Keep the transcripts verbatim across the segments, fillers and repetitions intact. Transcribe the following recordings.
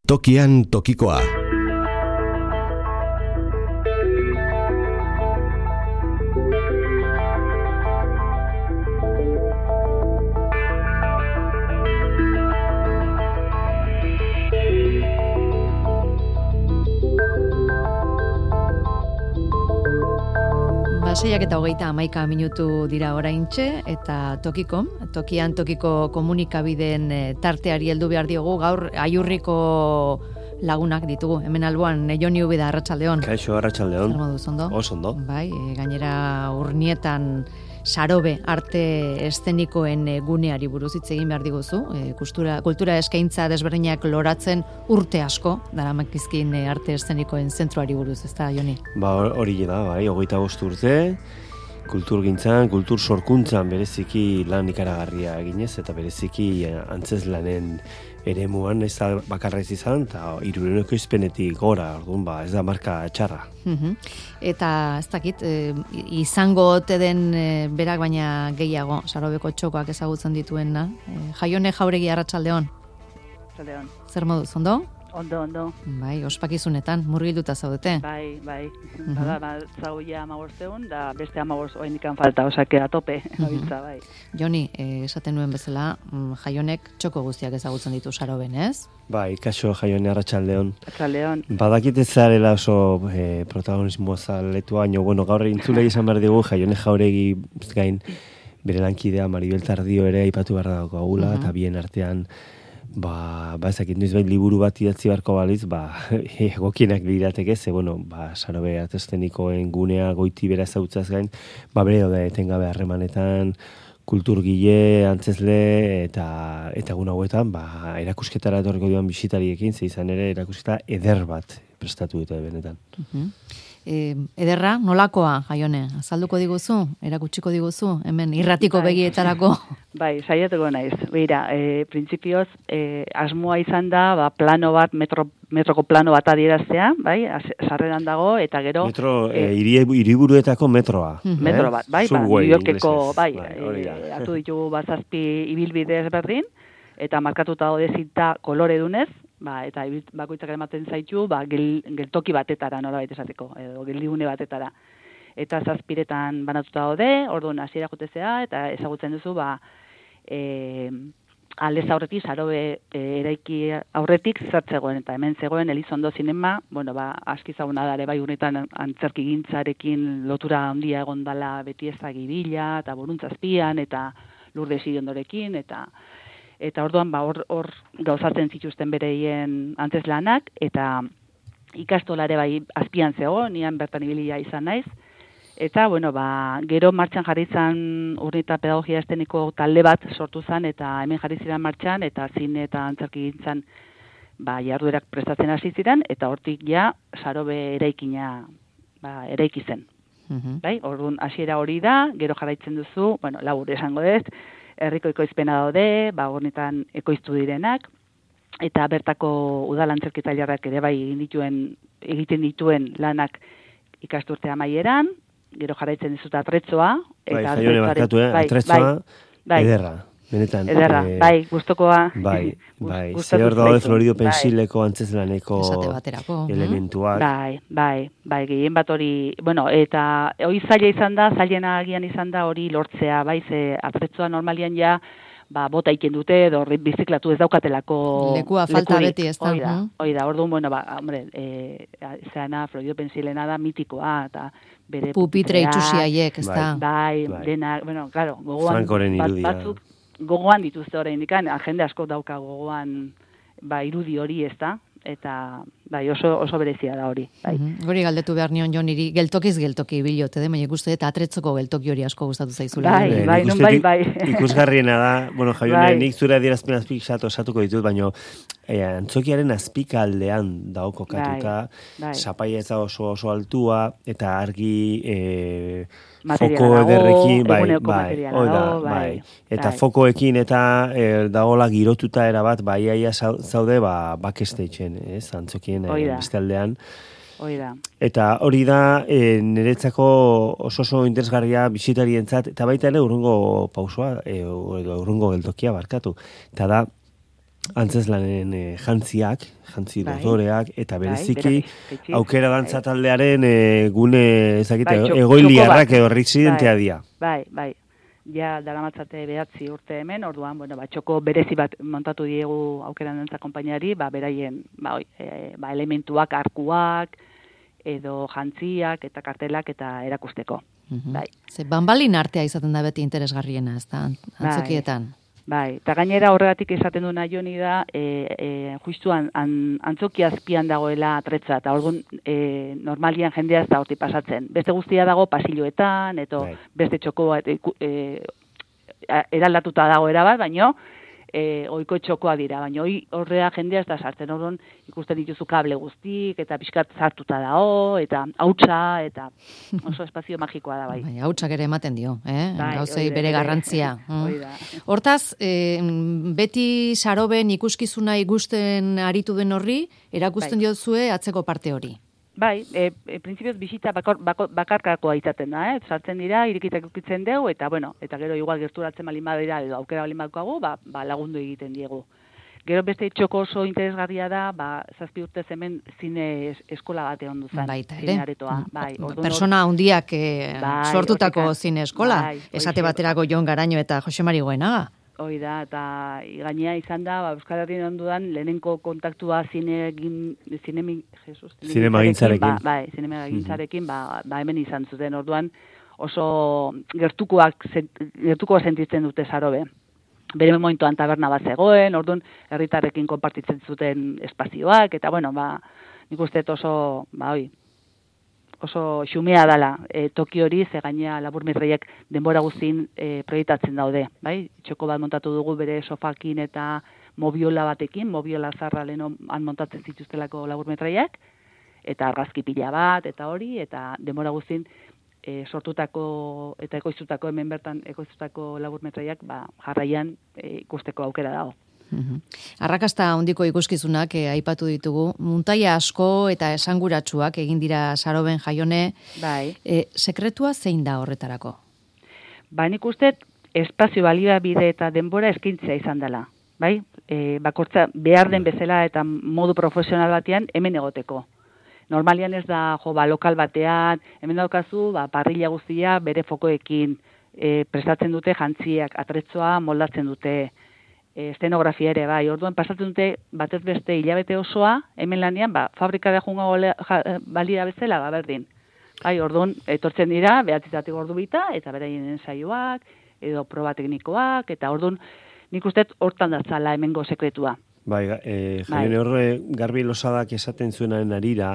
Tokian tokikoa. Seiak eta hogeita hamaika minutu dira oraintxe, eta tokiko, tokian tokiko komunikabideen tarteari heldu behar diogu, gaur aiurriko lagunak ditugu. Hemen alboan, Joni Ubida, arratsaldeon. Kaixo, arratsaldeon. Zer moduz, ondo? Oso ondo. Bai, gainera urnietan sarobe arte eszenikoen guneari buruz hitz egin behar diguzu. Kultura, kultura eskaintza desberdinak loratzen urte asko, daramakizkin arte eszenikoen zentroari buruz, ez da, Joni? Ba, hori da, bai, hogeita bost urte, kulturgintzan, kultur sorkuntzan bereziki lan ikaragarria eginez, eta bereziki antzeslanen eremuan ez da bakarra ez izan, eta hirurehuneko izpenetik gora, orduan, ba, ez da marka txarra. Uh-huh. Eta ez dakit, e, izango ote den e, berak baina gehiago, sarobeko txokoak ezagutzen dituena. E, Jaione Jauregi, arratsaldeon. Arratsaldeon. Zer moduz, ondo? Ondo, ondo. Bai, ospakizunetan, murgilduta zaudete. Bai, bai. Uh-huh. Bada, ba, zauia amabortzeun, da beste amabortz oinikan falta, osake a tope, nabiltza, bai. Joni, eh, esaten nuen bezala, Jaionek txoko guztiak ezagutzen ditu saroben, ez? Bai, kaixo, Jaione, arratsaldeon. Arratsaldeon. Badakit ez zarela oso eh, protagonismo zaletua, baina, bueno, gaur entzulei izan behar digu, Jaione Jauregi gain bere lankidea Maribel Tardio ere aipatu behar dago agula, uh-huh. eta bien artean Ba, ba ezakit noiz bai liburu bat idatzi beharko baliz, ba, egokienak lirateke, ze, bueno, ba, sarobe artestenikoen gunea goiti bera ezautzaz gain, ba, bere da etengabe harremanetan, kulturgile, antzesle, eta eta egun hauetan, ba, erakusketara etorriko dioan bisitariekin, ze izan ere erakusketa eder bat prestatu dute benetan. Uh-huh. E, ederra, nolakoa, Jaione? Azalduko diguzu? Erakutsiko diguzu? Hemen irratiko bai. Begietarako? Bai, saiatuko naiz. Beira, e, printzipioz, e, asmoa izan da, ba, plano bat, metro, metroko plano bat adieraztea, bai, sarreran dago, eta gero... Metro, e, e, hiriburuetako metroa. Uh-huh. Metro bat, bai, ba, New Yorkeko, bai, bai e, atu ditugu bazazpi ibilbide ezberdin, eta markatuta daude zinta kolore dunez, ba, eta bakoitzak ematen zaitu, ba, gel, geltoki batetara, nolabait esateko, edo geldigune batetara. Eta zazpiretan banatuta daude, orduan hasiera jotezea, eta ezagutzen duzu, ba, e, aldez aurretik, sarobe e, eraiki aurretik zertzegoen, eta hemen zegoen Elizondo Zinema, bueno, ba, aski zaguna dare bai honetan antzerkigintzarekin lotura handia egon dala beti ezagibila, eta Boruntzazpian, eta Lourdes Iriondorekin, eta eta orduan ba hor hor gauzatzen zituzten bereien antzeslanak, eta ikastolare bai azpian zego, nian bertan ibilia izan naiz, eta bueno, ba, gero martxan jarri zan Urnieta pedagogia esteniko talde bat sortu zan, eta hemen jarri ziren martxan, eta zine eta antzerkigintzan ba, jarduerak prestatzen hasi ziren, eta hortik ja sarobe eraikina ba, eraiki zen. Uh-huh. Bai? Orduan hasiera hori da, gero jarraitzen duzu, bueno, labur esango dut, herriko ekoizpena daude, ba, hornetan ekoiztu direnak, eta bertako udal antzerkitaileak ere bai egin dituen, egiten dituen lanak ikasturte amaieran, gero jarraitzen dizut atretzoa. Bai, Jaione barkatu, eh? Atretzoa, bai, ederra. Benetan. Ederra, eh, bai, gustokoa. Bai, bai. Zer daude Florido Pensileko bai. Antzeslaneko elementuak. Bai, bai, bai, gehien bat hori, bueno, eta hori zaila izan da, zailena agian izan da hori lortzea, bai, ze atretzoa normalian ja, ba, bota iken dute, edo biziklatu ez daukatelako lekua falta lekurik. Beti ez da. Hoi da, hoi da, orduan, bueno, ba, hombre, e, zeana Florido Pensilena da mitikoa, eta bere pupitre itxusiaiek, ez da. Bai, bai, denak, bueno, claro, gogoan Frankoren bat, irudia. batzuk, gogoan dituzte oraindikan, jende asko dauka gogoan ba irudi hori, ezta? Eta bai, oso oso berezia da hori, bai. Uh-huh. Hori galdetu behar nion Joniri, geltokiz geltoki bilote de, baina ikuste eta atretzoko geltoki hori asko gustatu zaizula. Bai, bai, bai, non bai, bai. Ikusgarriena da, bueno, Jaione, bai. Nik zure adierazpen azpik osatuko ditut, baina eh, antzokiaren azpikaldean dago kokatuta, bai, bai. Sapaia ez da oso oso altua, eta argi eh, foko ederrekin, bai, bai, oida, bai, bai. Eta bai. Fokoekin eta eh, dagola girotuta erabat, bai, aia zaude, ba, backstagean, ez, antzokien beste aldean. Oida. Eta hori da e, niretzako oso oso interesgarria bisitarientzat, eta baita ere urrungo pausoa, e, edo urrungo geltokia barkatu. Eta da, antzeslanen e, jantziak, jantzi Bai. dotoreak, eta bereziki bai, aukera dantza taldearen e, gune ezakite, Bai, txok- egoiliarrak txoko edo bat. residentea Bai, dira. Bai, bai. Ja, daramatzate behatzi urte hemen, orduan, bueno, ba, txoko berezi bat montatu diegu aukeran dantza konpainiari, ba, beraien, ba, oi, e, ba, elementuak, arkuak, edo jantziak, eta kartelak, eta erakusteko. Mhm. Bai. Ze banbalin artea izaten da beti interesgarriena, ez da, antzokietan. Bai, eta gainera horregatik esaten duna joni da, e, e, justu an, an, antzoki azpian dagoela atretza, eta orduan e, normalian jendea ez da horti pasatzen. Beste guztia dago pasilloetan, eto Bai. beste txoko bat e, e, eraldatuta dago erabat, baino e, oiko txokoa dira, baina hoi horrea jendea ez da sartzen, orduan ikusten dituzu kable guztik, eta pixkat sartuta dago, eta hautsa, eta oso espazio magikoa da bai. Bai, hautsak ere ematen dio, eh? Bai, Gauzei hori da, bere hori- garrantzia. hori da. Hortaz, eh, beti saroben ikuskizuna ikusten aritu den horri, erakusten Bai. diozue atzeko parte hori. Bai, e, e, printzipioz bisita bakor, bako, bakarkakoa izaten da, eh? Sartzen dira, irikitak ukitzen dugu, eta bueno, eta gero igual gerturatzen balin badira, edo aukera balin badaukagu, ba, ba lagundu egiten diegu. Gero beste txoko oso interesgarria da, ba, zazpi urtez hemen zine es, eskola bate ondu zen. Baita ere. Zine aretoa, bai. orduan Persona handiak eh, Bai, sortutako hortik- zine eskola. bai, Esate hoxe. baterako Jon Garaño eta Jose Mari Goenaga. Hoi da, eta gainea izan da, ba, Euskal Herrian ondudan, lehenenko kontaktua zinegin, zinemi, Jesus, Zinemagintzarekin. Ba, bai, zinemagintzarekin, ba, ba hemen izan zuten, orduan oso gertukoak, zent- gertukoa sentitzen dute Sarobe. Bere momentuan taberna bat zegoen, orduan herritarrekin konpartitzen zuten espazioak, eta bueno, ba, nik uste dut oso, ba, hoi, oso xumea dala e, toki hori, ze gainea laburmirreiek denbora guztin e, proiektatzen daude, bai? Txoko bat montatu dugu bere sofakin eta mobiola batekin, mobiola zarra leheno han montatzen zituztelako laburmetraiak, eta argazki pila bat, eta hori, eta denbora guztin e, sortutako eta ekoiztutako hemen bertan ekoiztutako laburmetraiak, ba, jarraian e, ikusteko aukera dago. Mhm. Arrakasta handiko ikuskizunak eh, aipatu ditugu. Muntaia asko eta esanguratsuak egin dira Saroben Jaione. Bai. Eh, sekretua zein da horretarako? Ba, nik uste espazio baliabide eta denbora eskintzea izan dela. Bai? E, bakortza behar den bezala eta modu profesional batean hemen egoteko. Normalian ez da, jo, ba, lokal batean, hemen daukazu, ba, parrilla guztia bere fokoekin e, prestatzen dute jantziak, atretzoa moldatzen dute, e, estenografia ere, bai, orduan pasatzen dute batez beste hilabete osoa, hemen lanean, ba, fabrikara junga balira bezala, ba, berdin. Bai, orduan, etortzen dira, behatzizatik ordu bita, eta beraien ensaioak, edo proba teknikoak, eta orduan, nik uste hortan datzala hemengo sekretua. Bai, e, Jaione horre Garbi Losadak esaten zuenaren arira,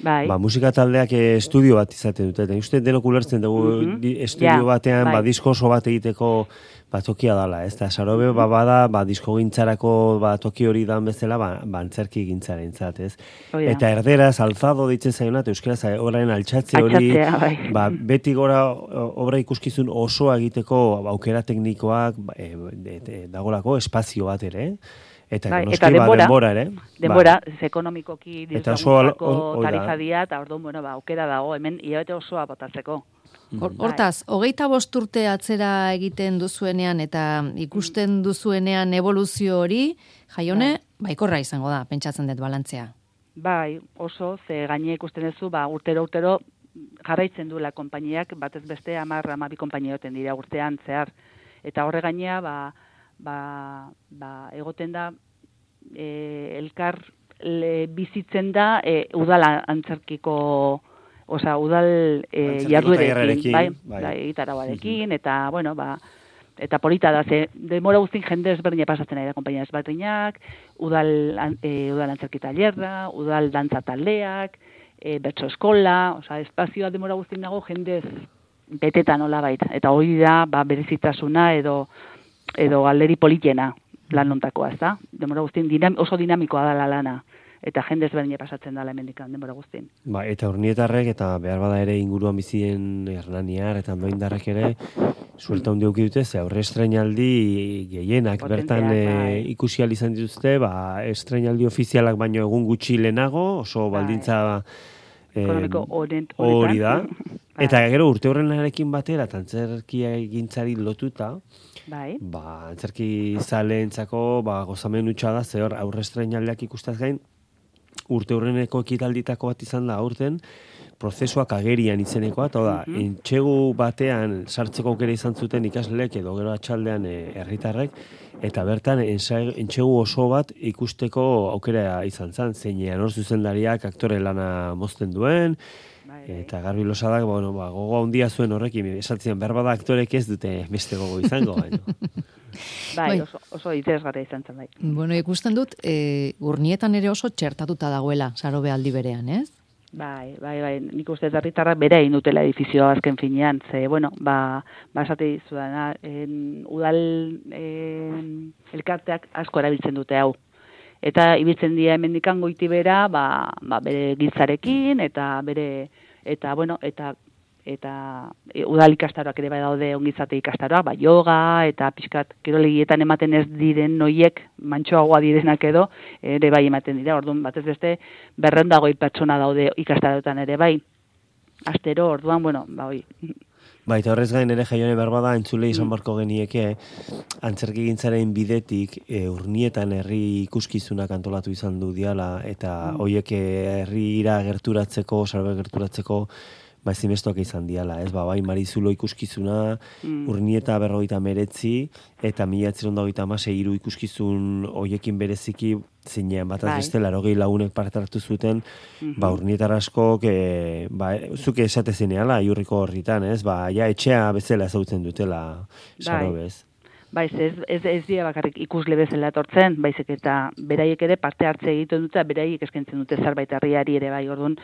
Bai. ba, musika taldeak e, estudio bat izaten dute, eta uste denok ulertzen dugu Mhm. di- estudio Ja, batean, bai. ba, disko oso bat egiteko ba, tokia dala, ez da, Sarobe, ba, bada, ba, disko gintzarako ba, toki hori dan bezala, ba, ba antzerki gintzaren zat, ez? Hoi da. Eta erderaz, alzado ditzen zaiona, eta euskaraz, orain altxatze hori, Altxatzea, bai. ba, beti gora o- obra ikuskizun osoa egiteko ba, aukera teknikoak ba, e, de, de, dagolako espazio bat ere, eta Bai, noski, eta ba, denbora, denbora ere. Denbora, Ba, ez ekonomikoki Eta oso al- diruzagutako hor- hori da. tarifa dia, eta orduan, bueno, ba, aukera dago, hemen hilabete osoa botatzeko. Hor- Hortaz, hogeita bost urte atzera egiten duzuenean eta ikusten duzuenean evoluzio hori, Jaione, baikorra izango da, pentsatzen dut balantzea. Bai, oso, ze gaine ikusten duzu, ba, urtero, urtero, jarraitzen duela konpainiak, batez beste hamar, hamabi konpainioten dira urtean zehar. Eta horre gainea, ba, ba, ba, egoten da, e, elkar le, bizitzen da, e, udal antzerkiko, osea, udal e, Antzerki jarduerekin, tailerrarekin, bai, bai. bai, gitarauarekin, eta, bueno, ba, eta polita da, ze demora guztin jende ezberdina pasatzen ari da konpainia ezberdinak, udal, an- e, udal antzerki tailerra, udal dantza taldeak, e, bertso eskola, osea, espazioa demora guztin dago jendez beteta nola baita. Eta hori da, ba, berezitasuna edo edo galderi politena lan hontakoa, ez da? Demora guztin dinam, oso dinamikoa da la lana. Eta jende ezberdina pasatzen dala hemendik denbora guztin. Ba, eta urnietarrek, eta behar bada ere inguruan bizien Hernaniar, eta Andoindarrek ere, suelta hundi auki dute, ze aurre estrenaldi gehienak, Potenteak, bertan e, bai. ikusi ahal izan dituzte, ba, estrenaldi ofizialak baino egun gutxi lehenago, oso Bai. baldintza eh, Ekonomiko honen- hori da. honetan. Eta gero urte horrenarekin batera, tantzerkia egintzari lotuta, Bai. Ba, antzerki zaleentzako ba, gozamen utxa da, ze hor aurre estreinaldiak ikustaz gain, urte hurreneko ekitalditako bat izan da aurten, prozesuak agerian izenekoa, eta da, Mhm. entxegu batean sartzeko aukera izan zuten ikasleek edo gero atxaldean eh, herritarrek, eta bertan ensa- entxegu oso bat ikusteko aukera izan zen, zeinean hor zuzendariak aktore lana mozten duen, Bai, bai. eta Garbi Losadak, bueno, ba, gogo handia zuen horrekin, esatzen behar bada aktorek ez dute beste gogo izango, baino. Bai, Bai. oso, oso interesgarria izan zen, bai. Bueno, ikusten dut, e, urnietan ere oso txertatuta dagoela, Sarobe aldi berean, ez? Bai, bai, bai, nik uste herritarrak bere egin dutela edifizioa azken finean, ze, bueno, ba, ba esate dizudana, en, udal en, elkarteak asko erabiltzen dute hau. Eta ibiltzen dira hemendikan goiti bera, ba, ba, bere giltzarekin, eta bere, eta, bueno, eta eta e, udal ikastaroak ere bai daude ongizate ikastaroak, ba, yoga, eta pixkat kirolegietan ematen ez diren noiek, mantxoagoa direnak edo, ere bai ematen dira, orduan batez beste, berreun dagoi pertsona daude ikastaroetan ere bai. Astero, orduan, bueno, ba, hoi. Ba, eta horrez gain ere Jaione berbada entzule izan barko genieke, antzerkigintzaren bidetik e, urnietan herri ikuskizunak antolatu izan du diala, eta Mm. hoiek eh, herrira gerturatzeko, Sarobe gerturatzeko, ba ezinbestekoak izan diala, ez? Ba, bai Marizulo ikuskizuna, Mm. Urnieta berrogeita meretzi, eta mila bederatziehun eta hogeita hamasei hiru ikuskizun hoiekin bereziki zeinean bataz Bai. beste laurogei lagunek parte hartu zuten, Mhm. ba urnietar askok e, ba zuke esate zeneala Iurriko horritan, ez? Ba ja etxea bezala ezagutzen dutela Sarobez. Bai, ez, ez, ez dira bakarrik ikusle bezala etortzen, baizik eta beraiek ere parte hartze egiten dute, beraiek eskaintzen dute zerbait herriari ere bai, orduan,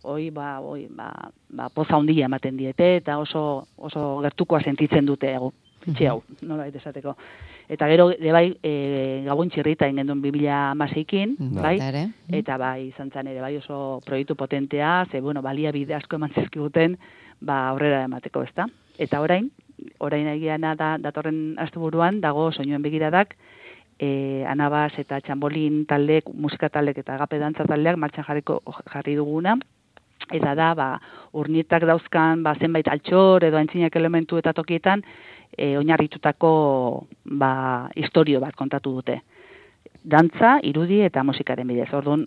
hoi, ba, hoi, ba, ba, poza handia ematen diete, eta oso, oso gertukoa sentitzen dute egu, etxe hau, nola baita esateko. Eta gero, de bai, e, Gabon txirrita ingen duen bi mila hamaseikin, bai, Baita ere. eta bai, izan zen ere bai oso proiektu potentea, ze, bueno, baliabide asko eman zizkiguten, ba, aurrera emateko, ezta? Eta orain, orain egiana da, datorren asteburuan dago soinuen begiradak, e, Anabas eta Txambolin taldeek, musika taldeek eta agape dantza taldeak martxan jarriko jarri duguna, eta da, ba, urnietak dauzkan, ba, zenbait altxor edo antzinak elementu eta tokietan, e, oinarritutako, ba, historio bat kontatu dute. Dantza, irudi eta musikaren bidez. Orduan,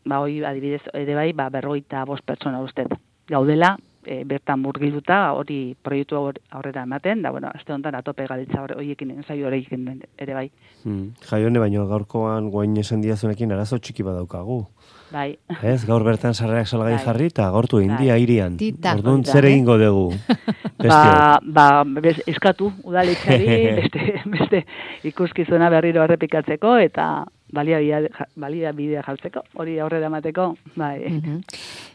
ba, hoi adibidez, ere bai, ba, berrogeita bost pertsona ustez. Gaudela, e, bertan murgilduta, hori proiektu hor- aurrera ematen, da, bueno, aste honetan atope galitza hor- horiekin, ensaio horiekin ere bai. Hmm. Jaione, baino gaurkoan guain esan diazunekin arazo txiki badaukagu. Bai. Ez, gaur bertan sarrerak salgai Bai. jarri eta agortu india Bai. irian. Tita. Orduan Hori da, zer eh? egingo dugu? Ba, ba, bez, eskatu udaletxari beste, beste ikuskizuna berriro errepikatzeko eta baliabidea baliabidea jartzeko, hori aurrera emateko, bai. Mhm.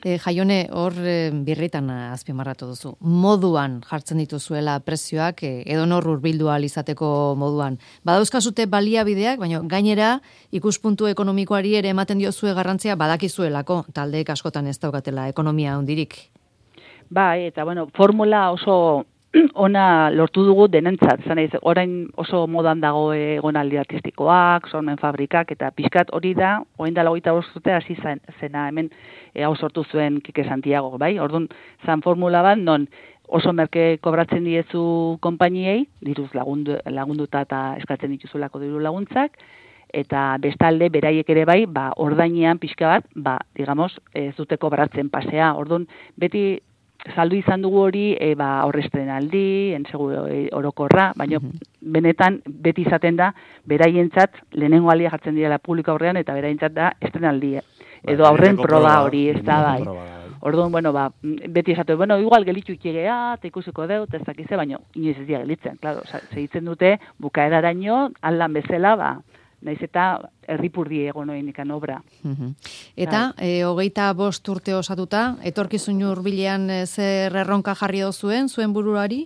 E, Jaione, hor e, birritan azpimarratu duzu. Moduan jartzen dituzuela prezioak, e, edonor hurbildu ahal izateko moduan. Badauzkazute baliabideak, baina gainera ikuspuntu ekonomikoari ere ematen diozue garrantzia badakizuelako, taldeek askotan ez daukatela ekonomia handirik. Bai, eta bueno, formula oso ona lortu dugu denentzat, zan ez, orain oso modan dago egonaldi artistikoak, sormen fabrikak, eta pixkat hori da, orain da hogeita bost urte hasi zen- zena hemen e, hau sortu zuen Kike Santiago, bai? Orduan, zan formula bat, non oso merke kobratzen diezu konpainiei, diruz lagundu, lagunduta eta eskatzen dituzulako diru laguntzak, eta bestalde beraiek ere bai, ba, ordainean pixka bat, ba, digamos, ez dute kobratzen pasea. Orduan, beti saldu izan dugu hori, e, ba, aurrestrenaldi, ensegu e, orokorra, baina benetan beti izaten da, beraientzat lehenengo aldia jartzen direla publiko aurrean, eta beraientzat da estrenaldia. Edo Ba, aurren benetako proba proba, hori, ez da benetako bai. proba da, bai. Orduan, bueno, ba, beti esatu, bueno, igual gelitxu ikigea, eta ikusiko deu, eta ez dakize, baina inoiz ez dira gelitzen, claro, segitzen dute, bukaeraraino, aldan bezala, ba, naiz eta erripurdi egon oin ikan obra. Mhm. Eta, e, hogeita bost urte osatuta, etorkizun hurbilean e, zer erronka jarri dozuen, zuen buruari?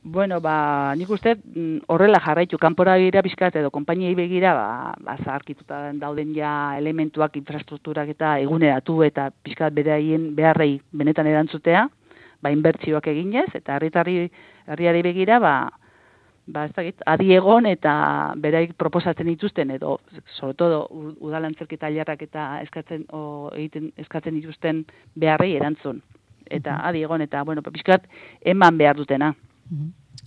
Bueno, ba, nik uste mm, horrela jarraitu, kanpora begira pixkat edo konpainiei begira, ba, ba zaharkituta dauden ja elementuak, infrastrukturak eta eguneratu eta pixkat beraien beharrei benetan erantzutea, ba, inbertsioak eginez, eta herritarri herriari begira, ba, ba, ez dakit, adi egon eta beraik proposatzen dituzten, edo, sobre todo, udalantzerki tailerrak eta eskatzen, o, egiten, eskatzen dituzten beharrei erantzun. Eta adi egon, eta, bueno, pixkat, eman behar dutena.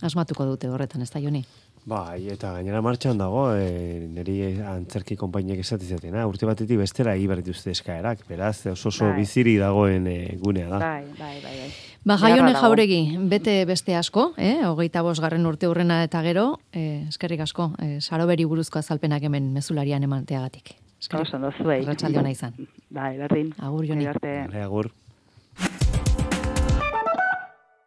Asmatuko dute horretan, ez da, Joni? Bai, eta gainera martxan dago, e, niri antzerki konpainiek esatizatena, urte batetik bestera egin dituzte eskaerak, beraz, oso oso bai. biziri dagoen e, gunea da. Bai, bai, bai, bai. Ba, Jaione Jauregi, bete beste asko, eh? hogeita bosgarren urte urrena eta gero, eh, eskerrik asko, eh, Saroberi buruzko azalpenak hemen mezularian emanteagatik. Oso, no zuei. Arratsalde ona izan. Bai, berdin. Agur, Joni. Vale, agur.